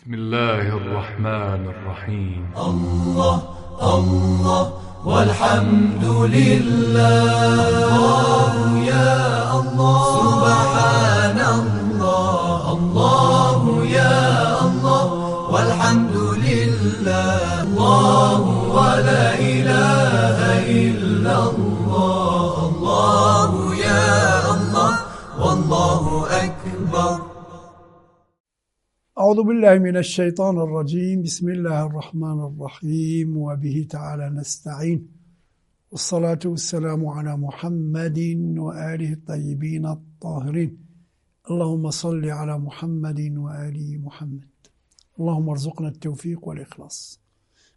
بسم الله الرحمن الرحيم. الله الله والحمد لله، الله يا الله، سبحان الله، الله يا الله، والحمد لله، الله ولا إله إلا الله، الله يا الله، والله أكبر. أعوذ بالله من الشيطان الرجيم. بسم الله الرحمن الرحيم، وبه تعالى نستعين، والصلاة والسلام على محمد وآله الطيبين الطاهرين. اللهم صل على محمد وآل محمد. اللهم ارزقنا التوفيق والإخلاص.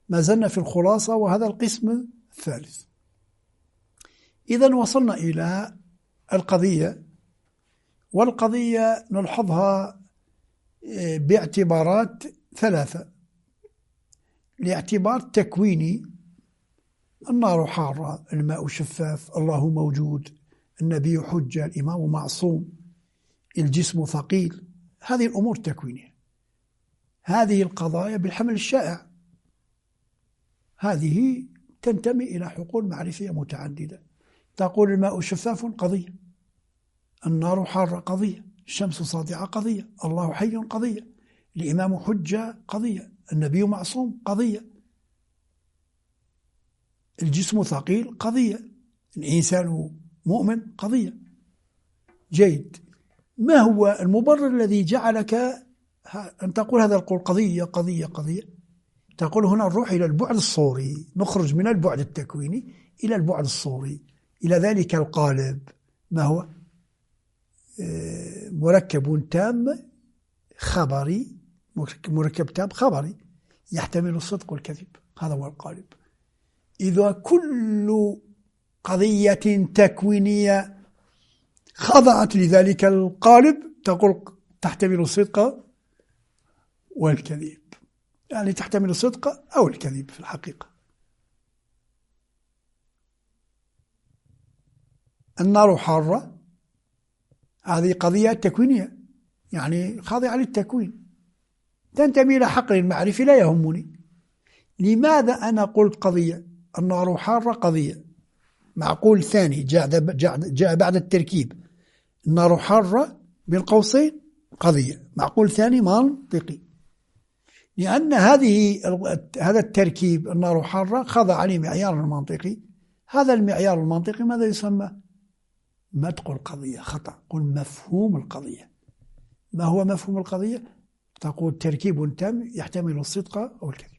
ما زلنا في الخلاصة، وهذا القسم الثالث. إذن وصلنا إلى القضية، والقضية نلحظها باعتبارات ثلاثة. لاعتبار تكويني: النار حارة، الماء شفاف، الله موجود، النبي حجة، الإمام معصوم، الجسم ثقيل. هذه الأمور التكوينية، هذه القضايا بالحمل الشائع، هذه تنتمي إلى حقول معرفية متعددة. تقول الماء شفاف قضية، النار حارة قضية، الشمس ساطعة قضية، الله حي قضية، الإمام حجة قضية، النبي معصوم قضية، الجسم ثقيل قضية، الإنسان مؤمن قضية. جيد، ما هو المبرر الذي جعلك أن تقول هذا القول قضية قضية قضية؟ تقول هنا نروح إلى البعد الصوري، نخرج من البعد التكويني إلى البعد الصوري، إلى ذلك القالب. ما هو؟ مركب تام خبري، مركب تام خبري يحتمل الصدق والكذب. هذا هو القالب. إذا كل قضية تكوينية خضعت لذلك القالب تقول تحتمل الصدق والكذب، يعني تحتمل الصدق أو الكذب في الحقيقة. النار حارة، هذه قضية تكوينية، يعني خاضعة للتكوين، تنتمي إلى حقل المعرفي لا يهمني. لماذا أنا قلت قضية النار حارة قضية؟ معقول ثاني جاء بعد التركيب، النار حارة بين قوسين قضية، معقول ثاني منطقي، لأن هذا التركيب النار حارة خضع لمعيار المنطقي. هذا المعيار المنطقي ماذا يسمى؟ ما تقول قضية، خطأ، قل مفهوم القضية. ما هو مفهوم القضية؟ تقول تركيب تام يحتمل الصدق أو الكذب.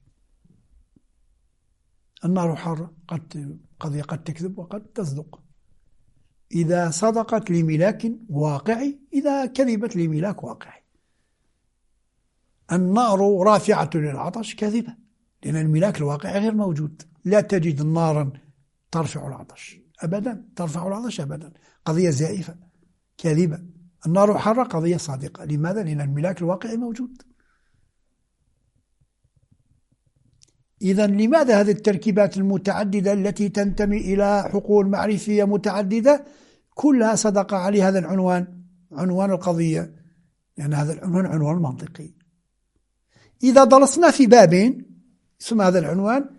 النار حارة، قد قضية قد تكذب وقد تصدق. إذا صدقت لملاك واقعي، إذا كذبت لملاك واقعي. النار رافعة للعطش كذبة، لأن الملاك الواقعي غير موجود. لا تجد نارا ترفع العطش أبدا، ترفع العطش أبدا، قضية زائفة كاذبة. النار حارة قضية صادقة. لماذا؟ لأن الملاك الواقعي موجود. إذا لماذا هذه التركيبات المتعددة التي تنتمي إلى حقول معرفية متعددة كلها صدق عليه هذا العنوان، عنوان القضية؟ لأن هذا العنوان عنوان منطقي. إذا درسنا في بابين يسمى هذا العنوان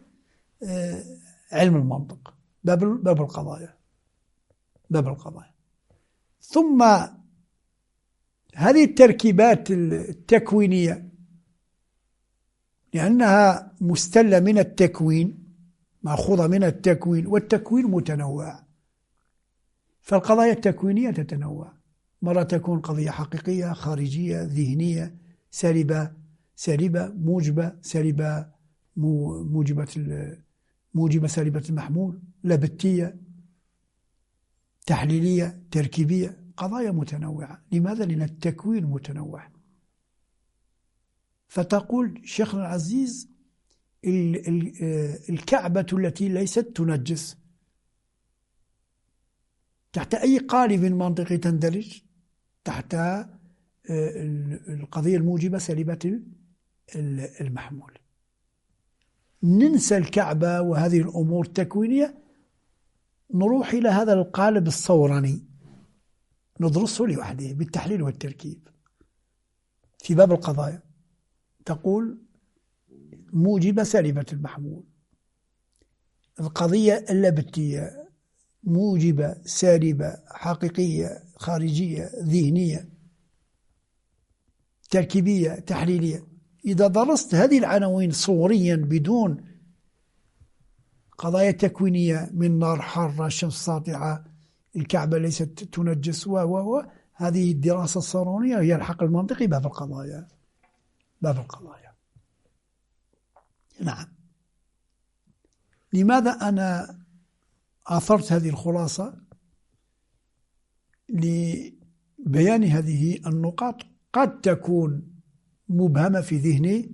علم المنطق، باب القضايا، باب القضايا. ثم هذه التركيبات التكوينية لأنها مستلة من التكوين، مأخوذة من التكوين، والتكوين متنوع، فالقضايا التكوينية تتنوع. مرة تكون قضية حقيقية، خارجية، ذهنية، سالبة، سالبة، موجبة، سالبة، موجبة، موجبة سالبة المحمول، لبتية، تحليلية، تركيبية، قضايا متنوعة. لماذا؟ لأن التكوين متنوع. فتقول شيخنا العزيز الكعبة التي ليست تنجس تحت أي قالب منطقي تندرج؟ تحت القضية الموجبة سالبة المحمول. ننسى الكعبة وهذه الأمور التكوينية، نروح إلى هذا القالب الصوراني ندرسه لوحده بالتحليل والتركيب في باب القضايا. تقول موجبة سالبة المحمول، القضية اللبتية موجبة سالبة حقيقية خارجية ذهنية تركيبية تحليلية. إذا درست هذه العناوين صوريا بدون قضايا تكوينية من نار حارة، شمس ساطعة، الكعبة ليست تنجس، و هذه الدراسة الصورانية هي الحق المنطقي باب القضايا، باب القضايا. نعم. لماذا أنا آثرت هذه الخلاصة؟ لبيان هذه النقاط قد تكون مبهمة في ذهن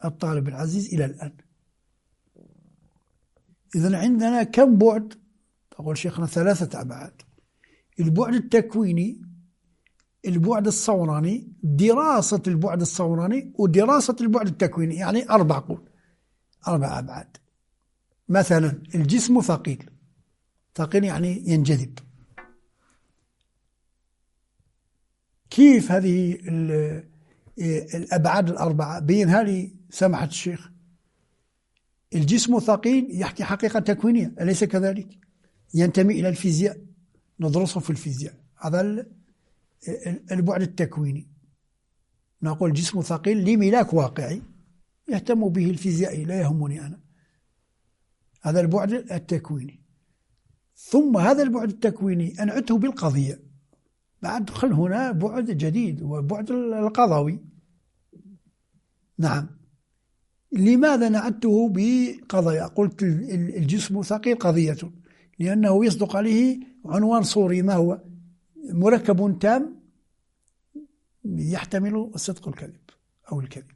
الطالب العزيز إلى الآن. إذن عندنا كم بعد؟ تقول شيخنا 3 أبعاد: البعد التكويني، البعد الصوراني، دراسة البعد الصوراني، ودراسة البعد التكويني، يعني 4 أبعاد. مثلا الجسم ثقيل، ثقيل يعني ينجذب. كيف هذه الأبعاد 4 بينها لي سماحة الشيخ؟ الجسم ثقيل يحكي حقيقة تكوينية، أليس كذلك؟ ينتمي إلى الفيزياء، ندرسه في الفيزياء، هذا البعد التكويني. نقول جسم ثقيل لملاك واقعي يهتم به الفيزيائي، لا يهمني أنا، هذا البعد التكويني. ثم هذا البعد التكويني أنعته بالقضية، بعد دخل هنا بعد جديد وبعد القضوي. نعم. لماذا نعته بقضايا؟ قلت الجسم ثقيل قضية، لأنه يصدق عليه عنوان صوري، ما هو؟ مركب تام يحتمل الصدق والكذب أو الكذب.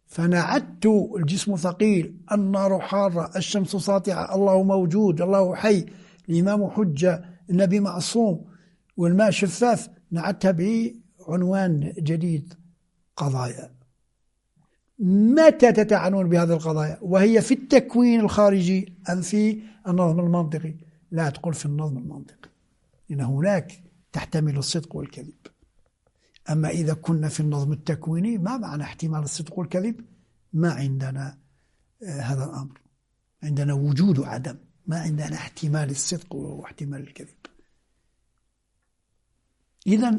فنعدت الجسم ثقيل، النار حارة، الشمس ساطعة، الله موجود، الله حي، الإمام حجة، النبي معصوم، والماء شفاف، نعدتها بعنوان جديد قضايا. متى تتعنون بهذه القضايا؟ وهي في التكوين الخارجي أم في النظم المنطقي؟ لا تقول في النظم المنطقي، لأن هناك تحتمل الصدق والكذب. أما إذا كنا في النظم التكويني ما معنى احتمال الصدق والكذب؟ ما عندنا هذا الأمر، عندنا وجود وعدم، ما عندنا احتمال الصدق واحتمال الكذب.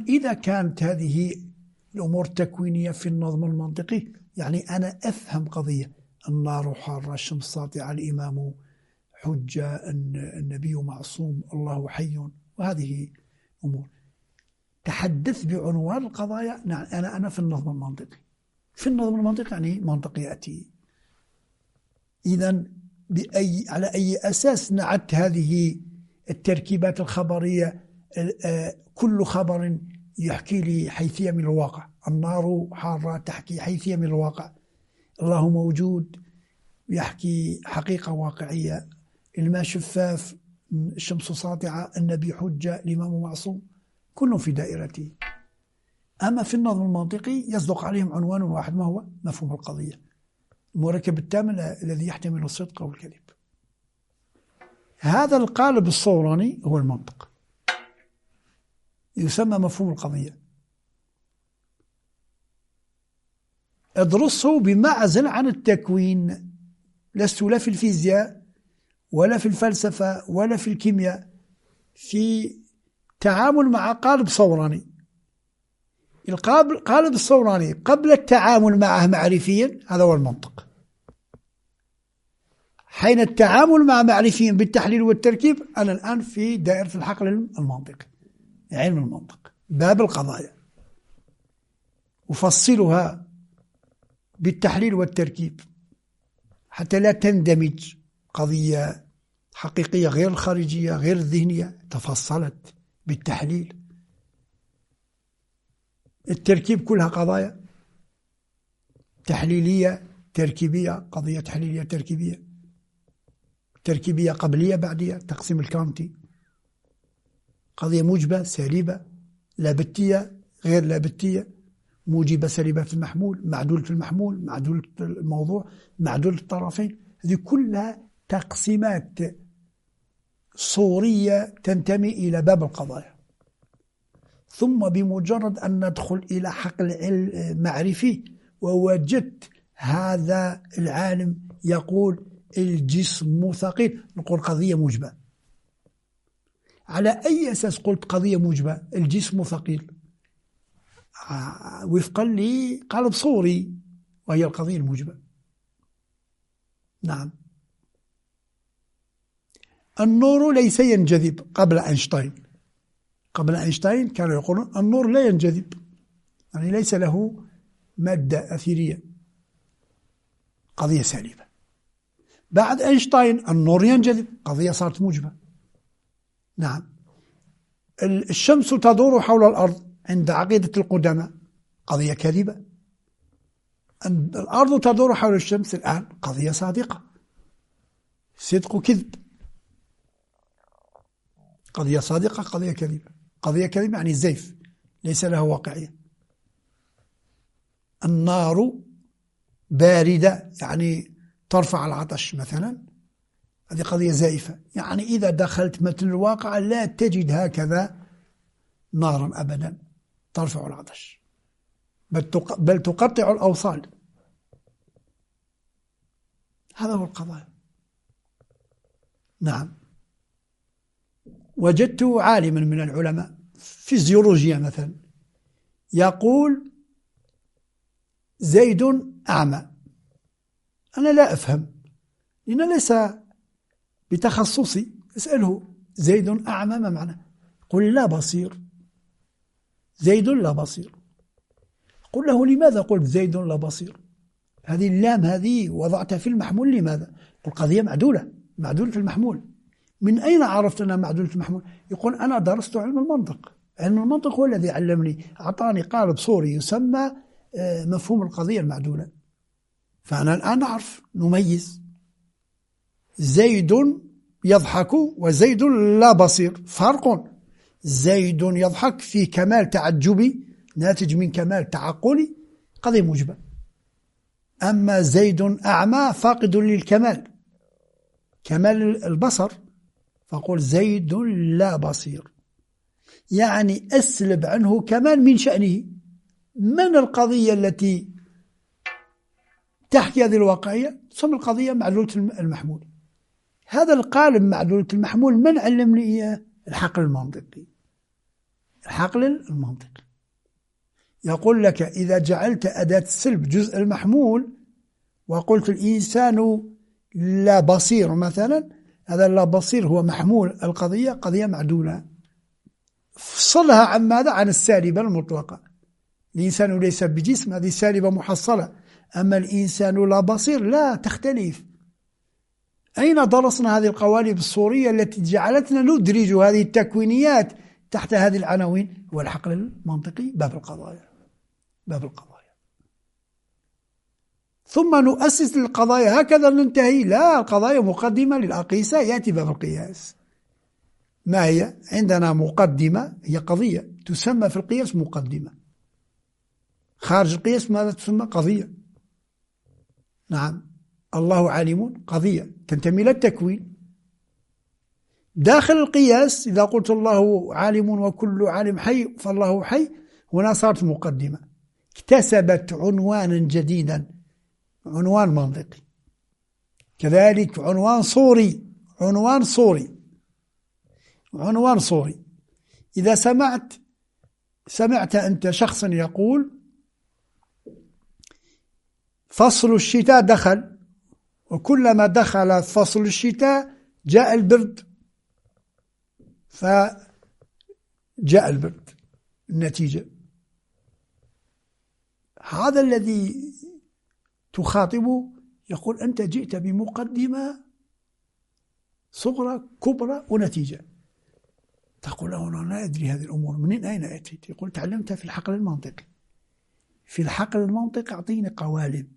إذا كانت هذه الأمور التكوينية في النظم المنطقي، يعني أنا أفهم قضية النار حارة، الشمس ساطعة، الإمام حجة، النبي معصوم، الله حي، وهذه أمور. تحدث بعنوان القضايا. نعم، أنا في النظم المنطقي، في النظم المنطقي يعني منطق يأتي. إذن على أي أساس نعت هذه التركيبات الخبرية؟ كل خبر يحكي لي حيثية من الواقع. النار حارة تحكي حيثية من الواقع، الله موجود يحكي حقيقة واقعية، الماء شفاف، الشمس ساطعة، النبي حجة، الإمام معصوم، كلهم في دائرته. أما في النظم المنطقي يصدق عليهم عنوان واحد، ما هو؟ مفهوم القضية، المركب التام الذي يحتمل الصدق أو الكذب. هذا القالب الصوراني هو المنطق، يسمى مفهوم القضية. ادرسه بمعزل عن التكوين، لست لا في الفيزياء ولا في الفلسفة ولا في الكيمياء، في تعامل مع قالب صوراني. القالب الصوراني قبل التعامل معه معرفيا هذا هو المنطق. حين التعامل مع معرفيا بالتحليل والتركيب، أنا الآن في دائرة الحقل المنطقي، علم المنطق، باب القضايا، أفصلها بالتحليل والتركيب حتى لا تندمج قضية حقيقية غير الخارجية غير الذهنية، تفصلت بالتحليل. التركيب كلها قضايا تحليلية تركيبية، قضية تحليلية تركيبية، تركيبية قبلية بعدية، تقسيم الكانتي، قضية موجبة سالبة، لابتية غير لابتية، موجبة سالبة في المحمول، معدولة المحمول، معدولة الموضوع، معدولة الطرفين. هذه كلها تقسيمات صورية تنتمي إلى باب القضايا. ثم بمجرد أن ندخل إلى حقل معرفي ووجدت هذا العالم يقول الجسم ثقيل، نقول قضية موجبة. على أي أساس قلت قضية موجبة؟ الجسم ثقيل وفقا لقالب صوري، وهي القضية الموجبة. نعم. النور ليس ينجذب قبل أينشتاين. قبل أينشتاين كانوا يقولون النور لا ينجذب، يعني ليس له مادة أثيرية، قضية سالبة. بعد أينشتاين النور ينجذب، قضية صارت موجبة. نعم. الشمس تدور حول الأرض عند عقيدة القدماء، قضية كاذبة. الأرض تدور حول الشمس الآن، قضية صادقة. صدق كذب، قضية صادقة، قضية كاذبة. قضية كاذبة يعني زيف، ليس له واقعية. النار باردة يعني ترفع العطش مثلا، هذه قضية زائفة. يعني إذا دخلت متن الواقع لا تجد هكذا نارا أبدا ترفع العطش، بل تقطع الأوصال. هذا هو القضايا. نعم. وجدت عالما من العلماء فيزيولوجيا مثلا يقول زيد أعمى. أنا لا أفهم لأن ليس بتخصصي، أسأله زيد أعمى ما معنى؟ قل لا بصير، زيد لا بصير. قل له لماذا قلت زيد لا بصير؟ هذه اللام هذه وضعتها في المحمول لماذا؟ قل قضية معدولة، معدولة المحمول. من أين عرفت أنها معدولة المحمول؟ يقول أنا درست علم المنطق، علم المنطق هو الذي علمني، أعطاني قالب صوري يسمى مفهوم القضية المعدولة. فأنا الآن أعرف نميز، زيد يضحك وزيد لا بصير، فرق. زيد يضحك في كمال تعجبي ناتج من كمال تعقلي، قضية موجبة. أما زيد أعمى فاقد للكمال، كمال البصر، فقول زيد لا بصير، يعني أسلب عنه كمال من شأنه. من القضية التي تحكي هذه الواقعية؟ تسمى القضية معلولة المحمول. هذا القالب معلولة المحمول من علمني إياه؟ الحقل المنطقي. الحقل المنطقي يقول لك إذا جعلت أداة السلب جزء المحمول وقلت الإنسان لا بصير مثلا، هذا لا بصير هو محمول القضية، قضية معدولة. فصلها عن ماذا؟ عن السالبة المطلقة. الإنسان ليس بجسم، هذه سالبة محصلة. أما الإنسان لا بصير لا، تختلف. أين درسنا هذه القوالب الصورية التي جعلتنا ندرج هذه التكوينيات تحت هذه العناوين؟ هو الحقل المنطقي، باب القضايا، باب القضايا. ثم نؤسس للقضايا، هكذا ننتهي؟ لا، القضايا مقدمة للأقيسة، يأتي باب القياس. ما هي؟ عندنا مقدمة، هي قضية تسمى في القياس مقدمة، خارج القياس ماذا تسمى؟ قضية. نعم، الله عالم، قضية تنتمي إلى التكوين. داخل القياس إذا قلت الله عالم وكل عالم حي فالله حي، هنا صارت مقدمة، اكتسبت عنوانا جديدا، عنوان منطقي. كذلك عنوان صوري، عنوان صوري، عنوان صوري. إذا سمعت أنت شخصا يقول فصل الشتاء دخل، وكلما دخل فصل الشتاء جاء البرد، فجاء البرد، النتيجة. هذا الذي تخاطبه يقول أنت جئت بمقدمة صغرى كبرى ونتيجة. تقول له أنا لا أدري هذه الأمور منين أين أتيت؟ يقول تعلمتها في الحقل المنطقي. في الحقل المنطقي أعطيني قوالب،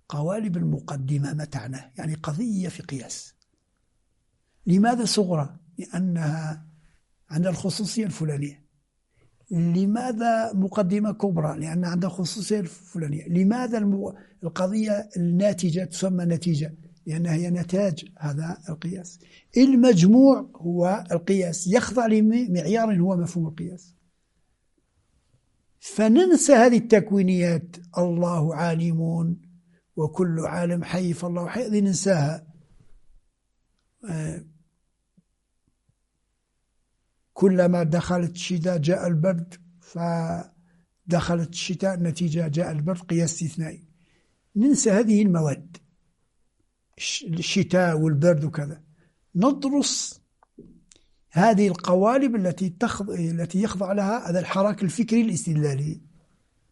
قوالب المقدمة ما تعناه، يعني قضية في قياس. لماذا صغرى؟ لأنها عندها الخصوصية الفلانية. لماذا مقدمة كبرى؟ لأن عندها خصوصية الفلانية. لماذا القضية الناتجة تسمى نتيجة؟ لأنها هي نتاج هذا القياس. المجموع هو القياس، يخضع لمعيار هو مفهوم القياس. فننسى هذه التكوينيات، الله عالم وكل عالم حي فالله حي، هذه ننساها. كلما دخلت الشتاء جاء البرد، فدخلت الشتاء نتيجة جاء البرد، قياس استثنائي. ننسى هذه المواد، الشتاء والبرد وكذا، ندرس هذه القوالب التي يخضع لها هذا الحراك الفكري الاستدلالي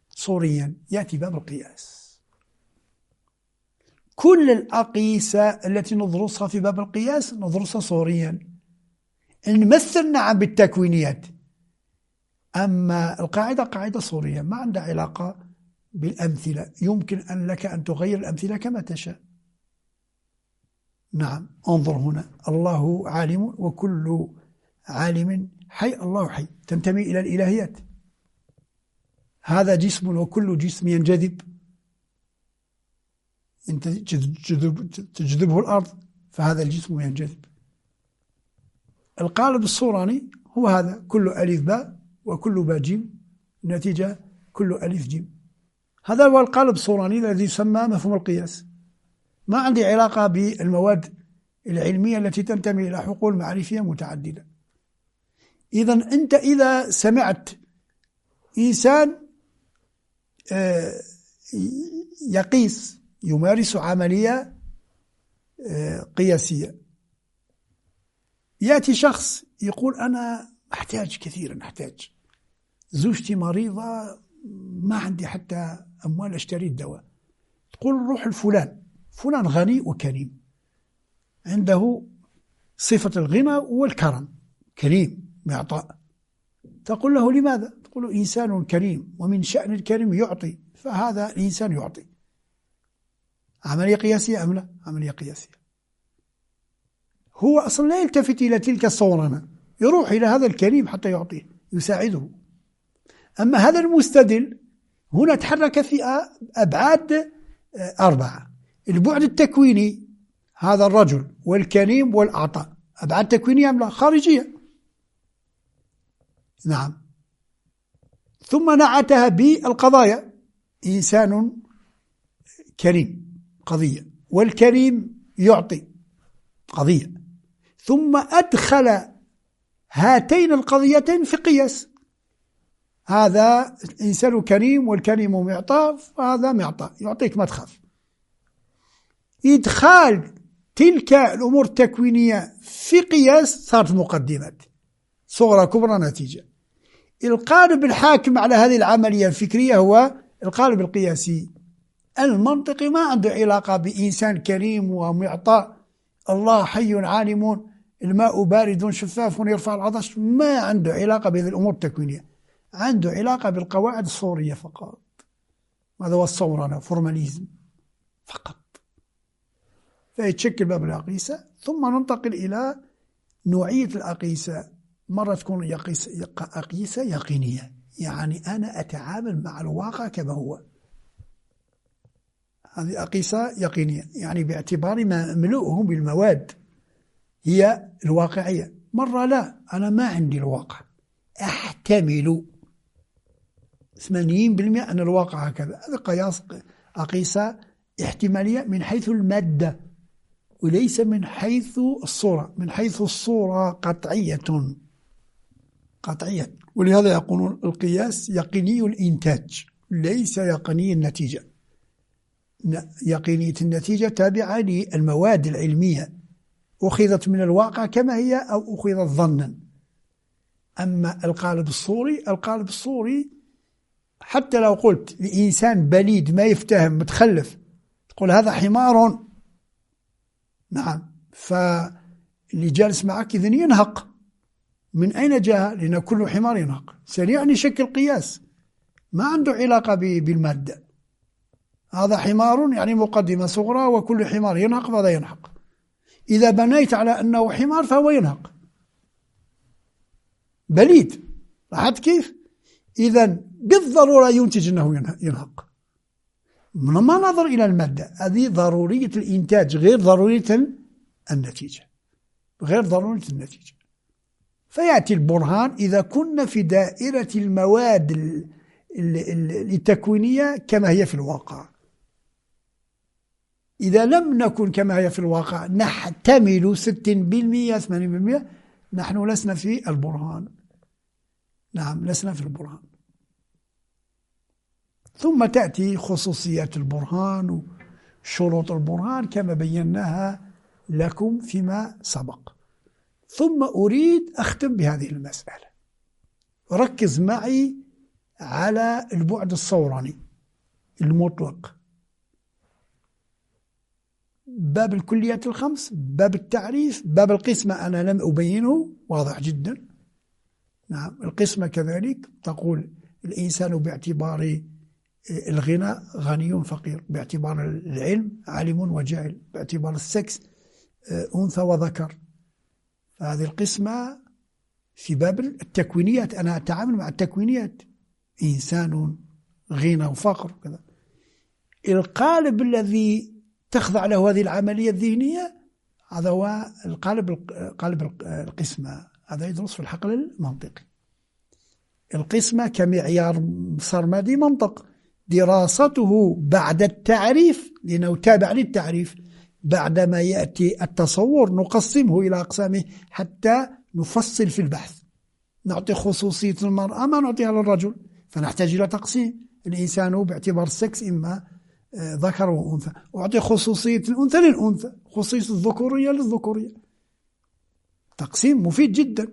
صوريا. يأتي باب القياس. كل الأقيسة التي ندرسها في باب القياس ندرسها صوريا، نمثل نعم بالتكوينيات، أما القاعدة قاعدة صورية ما عندها علاقة بالأمثلة، يمكن أن لك أن تغير الأمثلة كما تشاء. نعم، انظر هنا، الله عالم وكل عالم حي، الله حي، تنتمي إلى الإلهيات. هذا جسم وكل جسم ينجذب، تجذبه الأرض، فهذا الجسم ينجذب. القالب الصوراني هو هذا، كل ألف باء وكل باء جيم، نتيجة كل ألف جيم. هذا هو القالب الصوراني الذي يسمى مفهوم القياس. ما عندي علاقة بالمواد العلمية التي تنتمي إلى حقول معرفية متعددة. إذن أنت إذا سمعت إنسان يقيس، يمارس عملية قياسية، يأتي شخص يقول أنا أحتاج كثيرا، أحتاج، زوجتي مريضة، ما عندي حتى أموال أشتري الدواء. تقول روح لفلان، فلان غني وكريم، عنده صفة الغنى والكرم، كريم معطاء. تقول له لماذا؟ تقول إنسان كريم، ومن شأن الكريم يعطي، فهذا الإنسان يعطي. عملية قياسية أم لا؟ عملية قياسية. هو أصلا لا يلتفت إلى تلك الصورنة، يروح إلى هذا الكريم حتى يعطيه، يساعده. أما هذا المستدل هنا تحرك في أبعاد أربعة: البعد التكويني، هذا الرجل والكريم والأعطاء، أبعاد تكوينية أم لا؟ خارجية. نعم. ثم نعتها بالقضايا، إنسان كريم قضية، والكريم يعطي قضية، ثم أدخل هاتين القضيتين في قياس، هذا الإنسان كريم والكريم معطاء، فهذا معطاء يعطيك ما تخاف. إدخال تلك الأمور التكوينية في قياس صارت مقدمات صغرى كبرى نتيجة. القالب الحاكم على هذه العملية الفكرية هو القالب القياسي المنطقي، ما عنده علاقة بإنسان كريم ومعطاء، الله حي عالم، الماء بارد شفاف يرفع العطش، ما عنده علاقة بهذه الأمور التكوينية، عنده علاقة بالقواعد الصورية فقط. هذا هو الصورنة، فورماليزم فقط. فيتشكل باب الأقيسة. ثم ننتقل إلى نوعية الأقيسة. مرة تكون أقيسة يقينية، يعني أنا أتعامل مع الواقع كما هو، هذه أقيسة يقينية، يعني باعتبار ما ملؤهم بالمواد هي الواقعية. مرة لا، أنا ما عندي الواقع، أحتمل 80% أن الواقع هكذا. هذا قياس أقيسة احتمالية من حيث المادة وليس من حيث الصورة. من حيث الصورة قطعية قطعية، ولهذا يقولون القياس يقيني الإنتاج ليس يقيني النتيجة. يقينية النتيجة تابعة للمواد العلمية، أخذت من الواقع كما هي أو أخذت ظنا. أما القالب الصوري، القالب الصوري حتى لو قلت لإنسان بليد ما يفتهم متخلف، تقول هذا حمار، نعم، فاللي جالس معك إذن ينهق. من أين جاء؟ لأن كل حمار ينهق. سريعا يشكل قياس ما عنده علاقة بالمادة. هذا حمار يعني مقدمة صغرى، وكل حمار ينهق فهذا ينهق. إذا بنيت على أنه حمار فهو ينهق، بليد. لاحظت كيف؟ إذن بالضرورة ينتج أنه ينهق. ما نظر إلى المادة، هذه ضرورية الإنتاج غير ضرورية النتيجة، غير ضرورية النتيجة. فيأتي البرهان إذا كنا في دائرة المواد التكوينية كما هي في الواقع. إذا لم نكن كما هي في الواقع نحتمل 60% 80%، نحن لسنا في البرهان. نعم، لسنا في البرهان. ثم تأتي خصوصيات البرهان وشروط البرهان كما بيناها لكم فيما سبق. ثم أريد أختم بهذه المسألة. ركز معي على البعد الصوراني المطلق، باب الكليات الخمس، باب التعريف، باب القسمة أنا لم أبينه، واضح جدا. نعم، القسمة كذلك تقول الإنسان باعتبار الغنى غني فقير، باعتبار العلم عالم وجاهل، باعتبار السكس أنثى وذكر. هذه القسمة في باب التكوينيات، أنا أتعامل مع التكوينيات، إنسان غنى وفقر وكذا. القالب الذي تخضع له هذه العملية الذهنية هذا هو القالب، قالب القسمة. هذا يدرس في الحقل المنطقي. القسمة كمعيار سرمدي منطق، دراسته بعد التعريف لأنه تابع للتعريف، بعدما يأتي التصور نقسمه إلى أقسامه حتى نفصل في البحث. نعطي خصوصية المرأة ما نعطيها للرجل، فنحتاج إلى تقسيم. الإنسان باعتبار السكس إما ذكر وأنثى، أعطي خصوصية الأنثى للأنثى، خصوصية الذكورية للذكورية. تقسيم مفيد جدا.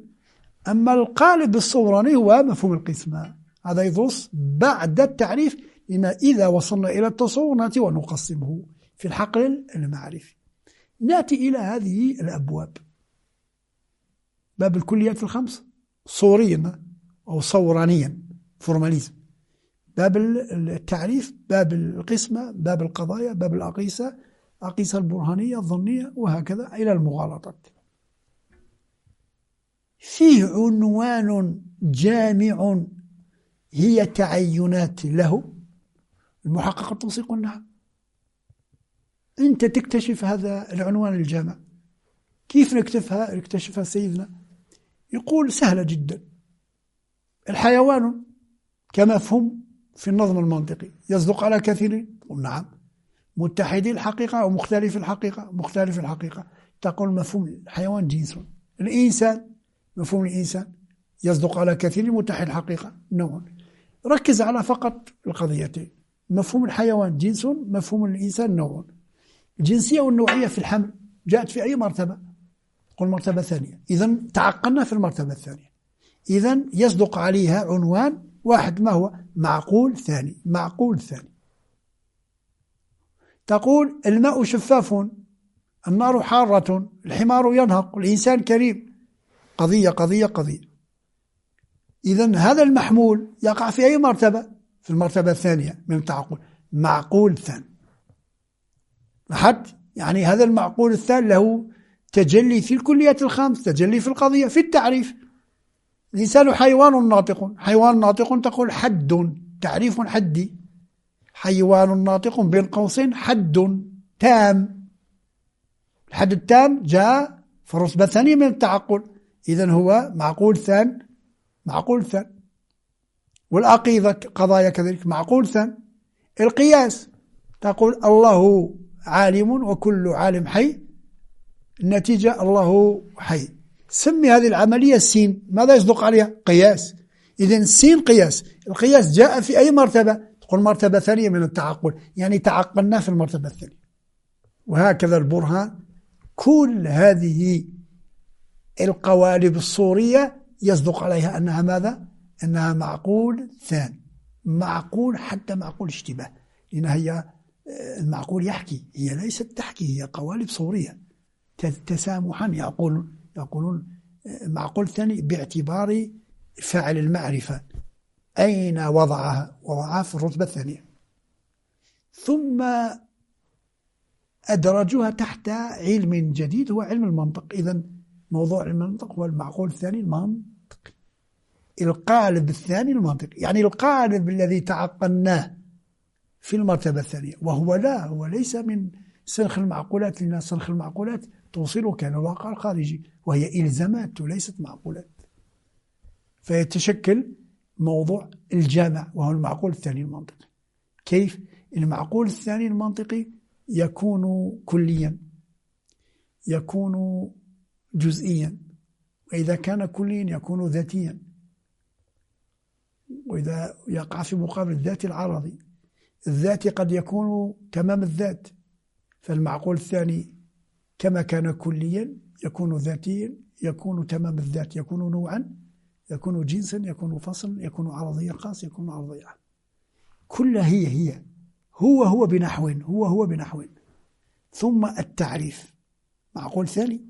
أما القالب الصوراني هو مفهوم القسمة، هذا يدرس بعد التعريف، لأن إذا وصلنا إلى التصور نأتي ونقسمه في الحقل المعرفي. نأتي إلى هذه الأبواب. باب الكليات الخمس صوريا أو صورانيا، formalisme. باب التعريف، باب القسمة، باب القضايا، باب الأقيسة، أقيسة البرهانية الظنية، وهكذا إلى المغالطات. فيه عنوان جامع هي تعينات له المحقق التوصيق. نعم، أنت تكتشف هذا العنوان الجامع. كيف نكتشفها؟ اكتشفها سيدنا، يقول سهلة جدا. الحيوان كمفهوم في النظم المنطقي يصدق على كثيرين، نعم، متحدي الحقيقة أو مختلف الحقيقة، مختلف الحقيقة. تقول مفهوم الحيوان جنس. الإنسان مفهوم الإنسان يصدق على كثير، متحد الحقيقة نوع. ركز على فقط القضيتين، مفهوم الحيوان جنس، مفهوم الإنسان نوع. الجنسية والنوعية في الحمل جاءت في أي مرتبة؟ قل مرتبة ثانية. إذن تعقلنا في المرتبة الثانية. إذن يصدق عليها عنوان واحد، ما هو؟ معقول ثاني. معقول ثاني. تقول الماء شفاف، النار حارة، الحمار ينهق، الإنسان كريم. قضية قضية قضية. إذن هذا المحمول يقع في أي مرتبة؟ في المرتبة الثانية من التعقل، معقول ثاني. لاحظت؟ يعني هذا المعقول الثاني له تجلي في الكليات الخمس، تجلي في القضية، في التعريف. الإنسان حيوان ناطق، حيوان ناطق تقول حد، تعريف حدي. حيوان ناطق بين قوسين حد تام. الحد التام جاء في الرتبة الثانية من التعقل، إذن هو معقول ثان، معقول ثان. والعقيدة قضايا كذلك معقول ثان. القياس تقول الله عالم وكل عالم حي، النتيجة الله حي. سمي هذه العملية السين، ماذا يصدق عليها؟ قياس. إذن سين قياس. القياس جاء في أي مرتبة؟ تقول مرتبة ثانية من التعقل، يعني تعقلنا في المرتبة الثانية. وهكذا البرهان. كل هذه القوالب الصورية يصدق عليها أنها ماذا؟ أنها معقول ثاني، معقول حتى معقول اشتباه، لأن هي المعقول يحكي، هي ليست تحكي، هي قوالب صورية. تسامحا يقولون معقول ثاني باعتبار فاعل المعرفة أين وضعها؟ وضعها في الرتبة الثانية. ثم أدرجوها تحت علم جديد هو علم المنطق. إذن موضوع المنطق هو المعقول الثاني المنطقي، القالب الثاني المنطقي، يعني القالب الذي تعقلناه في المرتبة الثانية، وهو لا، هو ليس من سنخ المعقولات، لأن سنخ المعقولات توصلك إلى الواقع الخارجي، وهي إلزامات وليست معقولات. فيتشكل موضوع الجامع وهو المعقول الثاني المنطقي. كيف؟ المعقول الثاني المنطقي يكون كليا، يكون جزئيا، وإذا كان كليا يكون ذاتيا، وإذا يقع في مقابل الذات العرضي، الذاتي قد يكون تمام الذات، فالمعقول الثاني كما كان كليا يكون ذاتيا، يكون تمام الذات، يكون نوعا، يكون جنسا، يكون فصلا، يكون عرضيا خاص، يكون عرضيا عام. كلها هي هو هو بنحو، هو هو بنحو. ثم التعريف معقول ثاني،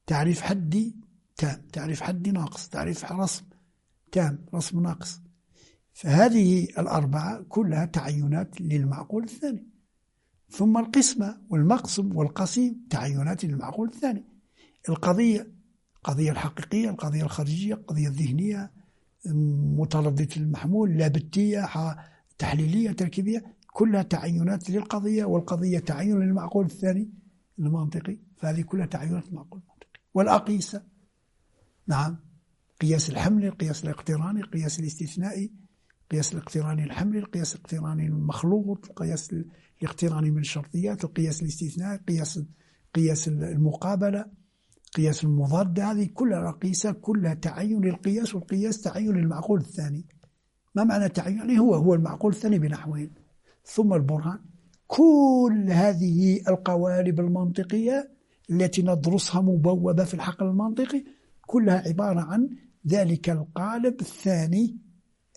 تعريف حدي تام، تعريف حدي ناقص، تعريف رسم تام، رسم ناقص. فهذه الأربعة كلها تعينات للمعقول الثاني. ثم القسمة والمقسم والقسيم تعينات للمعقول الثاني. القضية، القضية الحقيقية، القضية الخارجية، القضية الذهنية، مترددة المحمول، لابتية، تحليلية، تركيبية، كلها تعينات للقضية، والقضية تعين للمعقول الثاني المنطقي. فهذه كلها تعينات المعقول المنطقي. والأقيسة، نعم، قياس الحمل، القياس الاقتراني، القياس الاستثنائي، القياس الاقتراني الحملي، القياس الاقتراني المخلوط، القياس الاقتراني من الشرطيات، القياس الاستثنائي، قياس المقابلة، قياس المضاد. هذه كلها أقيسة، كلها تعين للقياس، والقياس تعين للمعقول الثاني. ما معنى تعين؟ يعني هو المعقول الثاني بنحوين. ثم البرهان. كل هذه القوالب المنطقية التي ندرسها مبوبة في الحقل المنطقي كلها عبارة عن ذلك القالب الثاني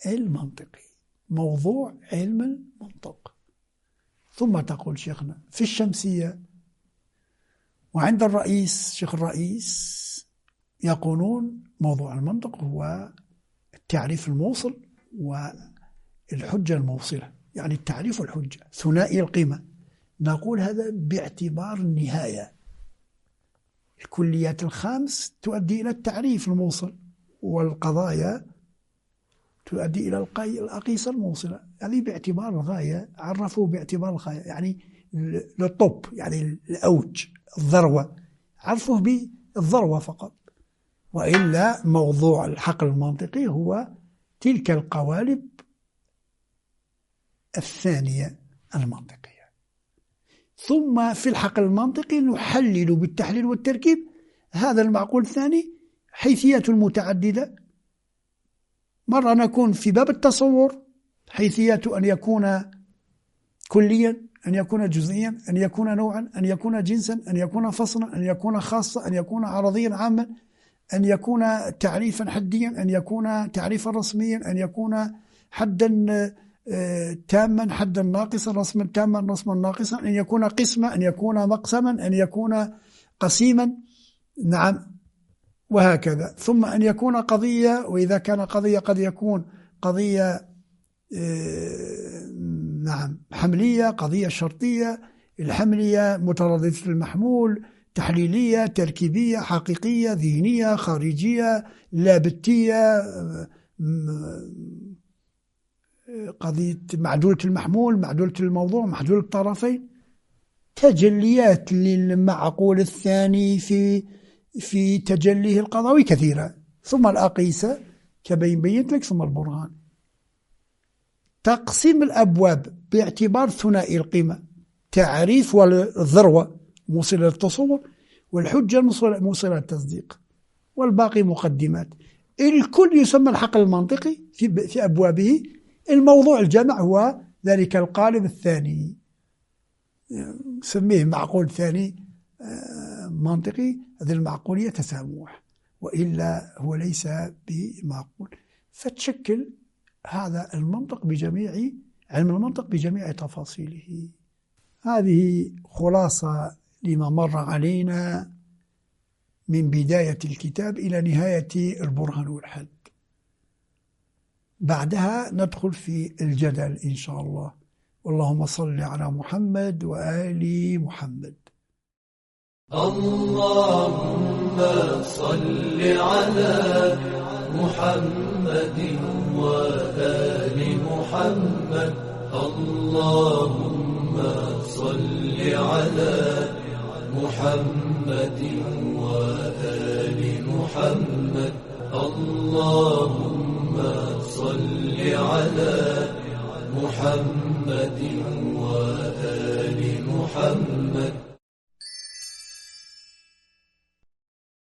المنطقي، موضوع علم المنطق. ثم تقول شيخنا في الشمسية وعند الرئيس، شيخ الرئيس، يقولون موضوع المنطق هو التعريف الموصل والحجة الموصلة، يعني التعريف والحجة ثنائي القيمة. نقول هذا باعتبار النهاية. الكليات الخمس تؤدي إلى التعريف الموصل، والقضايا تؤدي إلى الأقيسة الموصلة. هذه باعتبار الغاية، عرفوا باعتبار الغاية، يعني للطب، يعني الأوج، الذروة، عرفوه بالذروة فقط. وإلا موضوع الحقل المنطقي هو تلك القوالب الثانية المنطقية. ثم في الحقل المنطقي نحلل بالتحليل والتركيب هذا المعقول الثاني حيثيات المتعددة. مرة نكون في باب التصور، حيثيات أن يكون كليا، أن يكون جزئيا، أن يكون نوعا، أن يكون جنسا، أن يكون فصلا، أن يكون خاصة، أن يكون عرضيا عاما، أن يكون تعريفا حديا، أن يكون تعريفا رسميا، أن يكون حدا تاما، حدا ناقصا، رسما تاما، رسما ناقصا، أن يكون قسما، أن يكون مقسما، أن يكون قسيما، نعم، وهكذا. ثم أن يكون قضية، وإذا كان قضية قد يكون قضية نعم حملية، قضية شرطية، الحملية مترددة المحمول، تحليلية، تركيبية، حقيقية، ذهنية، خارجية، لابتية، قضية معدولة المحمول، معدولة الموضوع، معدولة الطرفين. تجليات للمعقول الثاني في تجليه القضوي كثيرة. ثم الأقيسة كبين بينت لك، ثم البرهان. تقسيم الأبواب باعتبار ثنائي القيمة، تعريف والذروة موصلة للتصور، والحجة موصلة للتصديق، والباقي مقدمات. الكل يسمى الحقل المنطقي في أبوابه. الموضوع الجمع هو ذلك القالب الثاني، سميه معقول ثاني منطقي. هذه المعقولية تسامح، وإلا هو ليس بمعقول. فتشكل هذا المنطق بجميع علم المنطق بجميع تفاصيله. هذه خلاصة لما مر علينا من بداية الكتاب إلى نهاية البرهان والحد. بعدها ندخل في الجدل إن شاء الله. واللهم صل على محمد وآل محمد. اللهم صل على محمد وآل محمد. اللهم صل على محمد وآل محمد. اللهم صل على محمد وآل محمد.